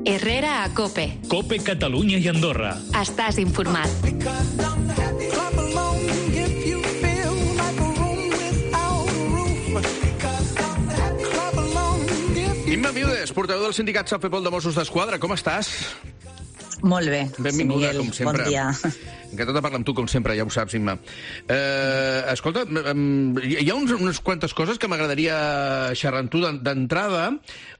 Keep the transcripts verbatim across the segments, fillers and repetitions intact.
Herrera a COPE. COPE Catalunya i Andorra. Estàs informat. Imma Viudes, portaveu del sindicat Safepol de Mossos d'Esquadra, com estàs? Molt bé, Benvinguda, Miguel, com sempre. bon dia. Encantat de parlar amb tu, com sempre, ja ho saps, Imma. Eh, escolta, hi ha uns, unes quantes coses que m'agradaria xerrar amb tu d'entrada.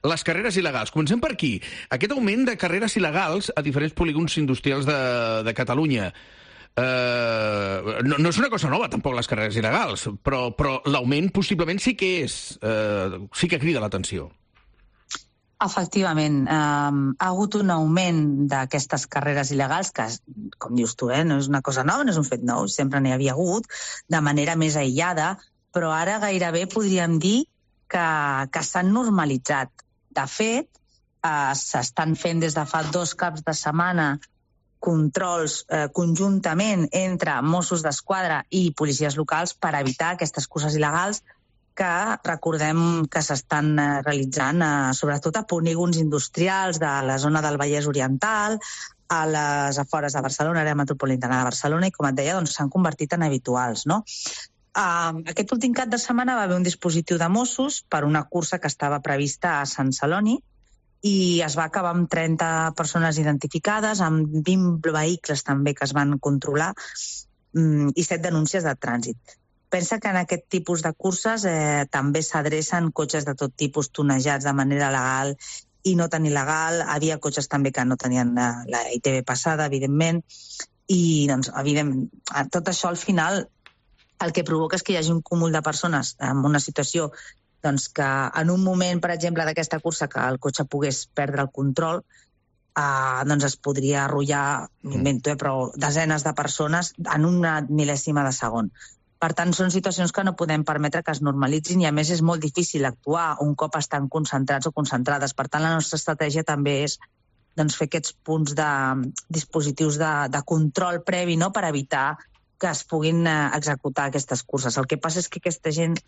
Les carreres il·legals. Comencem per aquí. Aquest augment de carreres il·legals a diferents polígons industrials de, de Catalunya. Eh, no, no és una cosa nova, tampoc, les carreres il·legals, però, però l'augment possiblement sí que és, eh, sí que crida l'atenció. Efectivament, eh, ha hagut un augment d'aquestes carreres il·legals, que, com dius tu, eh, no és una cosa nova, no és un fet nou, sempre n'hi havia hagut, de manera més aïllada, però ara gairebé podríem dir que, que s'han normalitzat. De fet, eh, s'estan fent des de fa dos caps de setmana controls eh, conjuntament entre Mossos d'Esquadra i policies locals per evitar aquestes curses il·legals que recordem que s'estan realitzant eh, sobretot a polígons industrials de la zona del Vallès Oriental, a les afores de Barcelona, àrea metropolitana de Barcelona, i com et deia, doncs, s'han convertit en habituals, no? Uh, aquest últim cap de setmana va haver un dispositiu de Mossos per una cursa que estava prevista a Sant Celoni i es va acabar amb trenta persones identificades, amb vint vehicles també que es van controlar um, i set denúncies de trànsit. Pensa que en aquest tipus de curses eh, també s'adrecen cotxes de tot tipus tonejats de manera legal i no tan il·legal. Havia cotxes també que no tenien la, la I T V passada, evidentment, i doncs, evident, tot això al final el que provoca és que hi hagi un cúmul de persones en una situació doncs, que en un moment, per exemple, d'aquesta cursa que el cotxe pogués perdre el control, eh, doncs es podria arrollar, m'invento, eh, però desenes de persones en una mil·lèsima de segon. Per tant, són situacions que no podem permetre que es normalitzin i, a més, és molt difícil actuar un cop estan concentrats o concentrades. Per tant, la nostra estratègia també és doncs, fer aquests punts de dispositius de, de control previ, no?, per evitar que es puguin eh, executar aquestes curses. El que passa és que aquesta gent,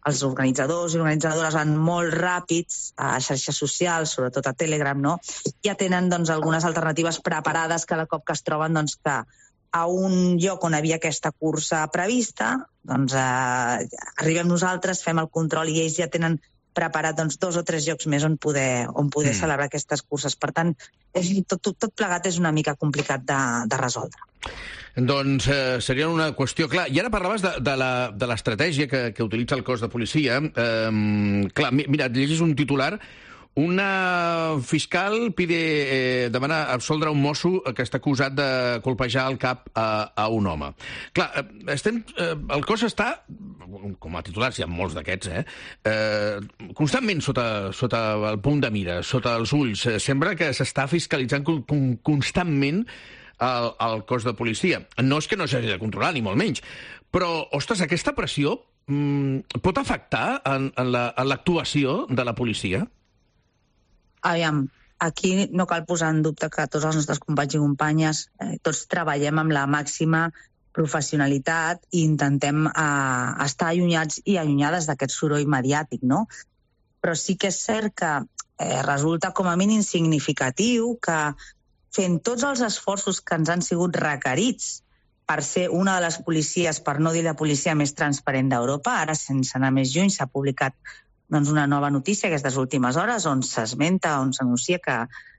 els organitzadors i organitzadores van molt ràpids a xarxes socials, sobretot a Telegram, no?, ja tenen doncs, algunes alternatives preparades cada cop que es troben doncs, que a un lloc on havia aquesta cursa prevista, doncs eh, arribem nosaltres, fem el control i ells ja tenen preparat doncs, dos o tres llocs més on poder, on poder mm. celebrar aquestes curses. Per tant, és, tot, tot, tot plegat és una mica complicat de, de resoldre. Doncs eh, seria una qüestió... Clar, i ara parlaves de, de l'estratègia que, que utilitza el cos de policia. Eh, clar, mira, llegis un titular. Una fiscal pide, eh, demana absoldre un mosso que està acusat de colpejar el cap a, a un home. Clar, estem, eh, el cos està, com a titulars hi ha molts d'aquests, eh, eh, constantment sota, sota el punt de mira, sota els ulls. Sembla que s'està fiscalitzant con, constantment el, el cos de policia. No és que no s'hagi de controlar, ni molt menys, però, ostres, aquesta pressió mm, pot afectar en, en l'actuació la, de la policia? Aviam, aquí no cal posar en dubte que tots els nostres companys i companyes, eh, tots treballem amb la màxima professionalitat i intentem eh, estar allunyats i allunyades d'aquest soroll mediàtic, no? Però sí que és cert que eh, resulta com a mínim significatiu que fent tots els esforços que ens han sigut requerits per ser una de les policies, per no dir la policia més transparent d'Europa, ara sense anar més lluny s'ha publicat doncs, una nova notícia aquestes últimes hores on s'esmenta, on s'anuncia que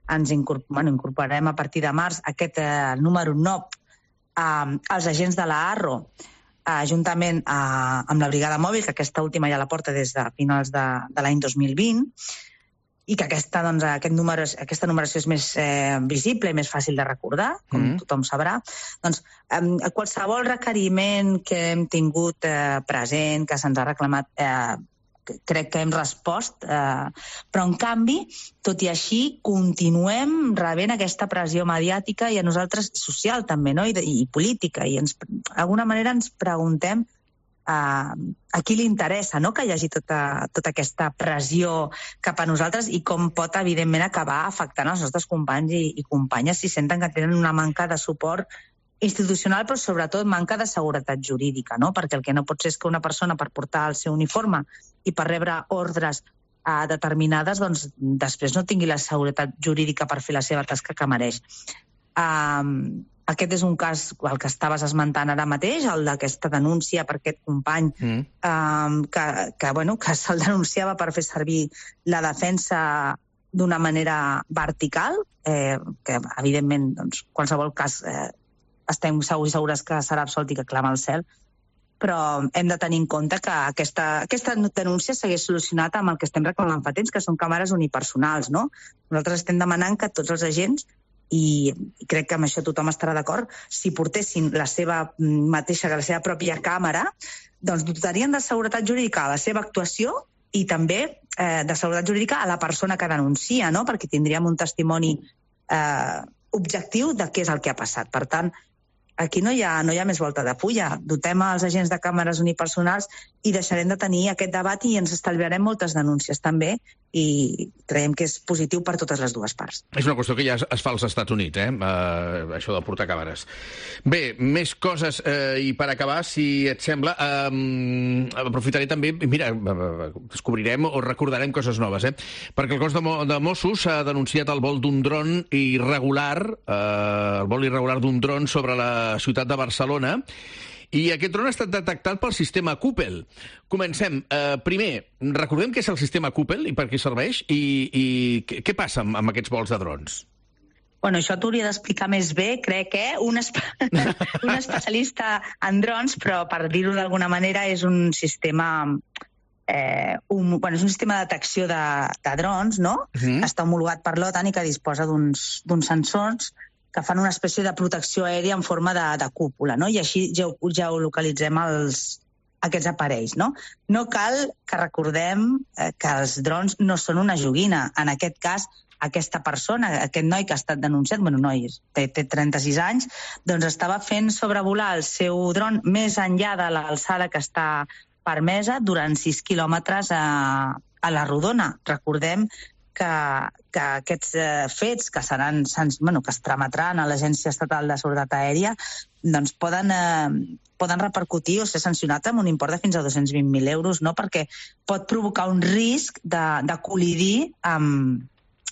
ens incorpor bueno, incorporarem a partir de març aquest eh, número nou eh, als agents de la ARRO, eh, juntament eh, amb la brigada mòbil, que aquesta última ja la porta des de finals de, de l'any dos mil vint, i que aquesta, doncs, aquest número, aquesta numeració és més eh, visible i més fàcil de recordar, com mm. tothom sabrà. Doncs, eh, qualsevol requeriment que hem tingut eh, present, que se'ns ha reclamat, eh, crec que hem respost, eh, però en canvi, tot i així, continuem rebent aquesta pressió mediàtica i a nosaltres social també, no? I, i política, i ens, d'alguna manera ens preguntem eh, a qui li interessa, no?, que hi hagi tota, tota aquesta pressió cap a nosaltres i com pot, evidentment, acabar afectant els nostres companys i, i companyes si senten que tenen una manca de suport institucional, però sobretot manca de seguretat jurídica, no? Perquè el que no pot ser és que una persona, per portar el seu uniforme i per rebre ordres uh, determinades, doncs després no tingui la seguretat jurídica per fer la seva tasca que mereix. Um, aquest és un cas, el que estaves esmentant ara mateix, el d'aquesta denúncia per aquest company mm. um, que, que, bueno, que se'l denunciava per fer servir la defensa d'una manera vertical, eh, que evidentment, doncs, qualsevol cas eh, estem segurs i segures que serà absolt i que clama al cel, però hem de tenir en compte que aquesta, aquesta denúncia s'hagués solucionat amb el que estem reclamant fa temps, que són càmeres unipersonals, no? Nosaltres estem demanant que tots els agents, i crec que amb això tothom estarà d'acord, si portessin la seva mateixa, la seva pròpia càmera, doncs dotarien de seguretat jurídica a la seva actuació i també eh, de seguretat jurídica a la persona que denuncia, no? Perquè tindríem un testimoni eh, objectiu de què és el que ha passat. Per tant, aquí no hi ha, no hi ha més volta de fulla. Dotem els agents de càmeres unipersonals i deixarem de tenir aquest debat i ens estalviarem moltes denúncies també i creiem que és positiu per totes les dues parts. És una qüestió que ja es fa als Estats Units, eh? Uh, això de portar càmeres. Bé, més coses, uh, i per acabar, si et sembla, um, aprofitaré també, mira, descobrirem o recordarem coses noves, eh? Perquè el cos de, Mo de Mossos ha denunciat el vol d'un dron irregular, uh, el vol irregular d'un dron sobre la ciutat de Barcelona, i aquest dron ha estat detectat pel sistema Coopel. Comencem. Uh, primer, recordem què és el sistema Coopel i per què serveix, i, i què, què passa amb, amb aquests vols de drons? Bueno, això t'hauria d'explicar més bé, crec, eh? Un, espe un especialista en drons, però per dir-ho d'alguna manera és un sistema... Eh, un, bueno, és un sistema de detecció de, de drons, no? Uh-huh. Està homologat per l'OTAN i que disposa d'uns sensors que fan una espècie de protecció aèria en forma de, de cúpula, no? I així ja, ja ho localitzem els, aquests aparells, no? No cal que recordem eh, que els drons no són una joguina. En aquest cas, aquesta persona, aquest noi que ha estat denunciat, bueno, noi, té, té trenta-sis anys, doncs estava fent sobrevolar el seu dron més enllà de l'alçada que està permesa durant sis quilòmetres a, a la rodona. Recordem que, que aquests eh, fets que seran, bueno, que es trametran a l'Agència Estatal de Seguretat Aèria doncs poden, eh, poden repercutir o ser sancionats amb un import de fins a dos-cents vint mil euros, no? Perquè pot provocar un risc de, de col·lidir amb,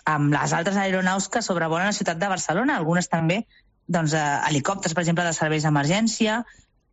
amb les altres aeronaus que sobrevolen la ciutat de Barcelona, algunes també doncs, eh, helicòpters, per exemple, de serveis d'emergència,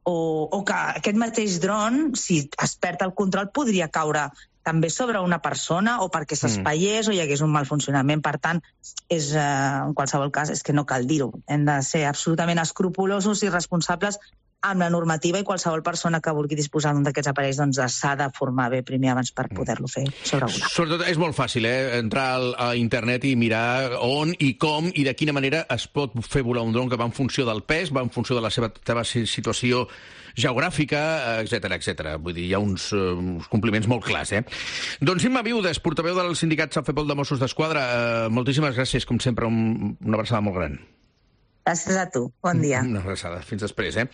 o, o que aquest mateix dron, si es perd el control, podria caure també sobre una persona o perquè s'espaiés mm. o hi hagués un mal funcionament. Per tant, és, eh, en qualsevol cas, és que no cal dir-ho. Hem de ser absolutament escrupulosos i responsables amb la normativa i qualsevol persona que vulgui disposar d'un d'aquests aparells doncs s'ha de formar bé primer abans per poder-lo fer sobrevolar. Sobretot és molt fàcil, eh? Entrar al, a internet i mirar on i com i de quina manera es pot fer volar un dron que va en funció del pes, va en funció de la seva, seva situació geogràfica, etcètera, etcètera. Vull dir, hi ha uns, uh, uns compliments molt clars, eh? Doncs Imma Viudes, portaveu del sindicat Safepol de Mossos d'Esquadra, uh, moltíssimes gràcies, com sempre, un, una abraçada molt gran. Gràcies a tu. Bon dia. Una abraçada. Fins després, eh?